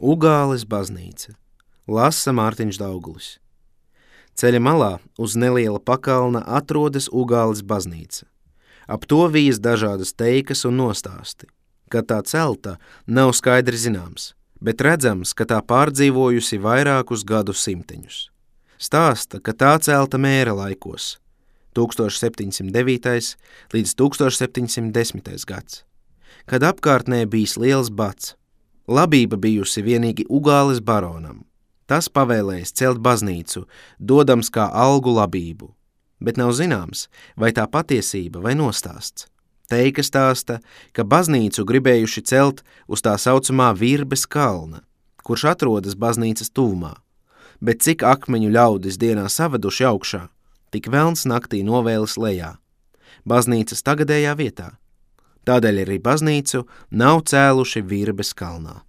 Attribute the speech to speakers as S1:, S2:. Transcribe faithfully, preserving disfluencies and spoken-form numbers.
S1: Ugāles baznīca. Lasa Mārtiņš Daugulis. Ceļa malā uz neliela pakalna atrodas Ugāles baznīca. Ap to vijas dažādas teikas un nostāsti. Kad tā celta, nav skaidri zināms, bet redzams, ka tā pārdzīvojusi vairākus gadu simteņus. Stāsta, ka tā celta mēra laikos, tūkstoš septiņsimt devītais līdz tūkstoš septiņsimt desmitais gads, kad apkārtnē bijis liels bats. Labība bijusi vienīgi Ugāles baronam. Tas pavēlējis celt baznīcu, dodams kā algu labību, bet nav zināms, vai tā patiesība vai nostāsts. Teika stāsta, ka baznīcu gribējuši celt uz tā saucamā Virbes kalna, kurš atrodas baznīcas tuvumā, bet cik akmeņu ļaudis dienā savaduši augšā, tik velns naktī novēlis lejā, baznīcas tagadējā vietā. Tādēļ arī baznīcu nav cēluši Virbes kalnā.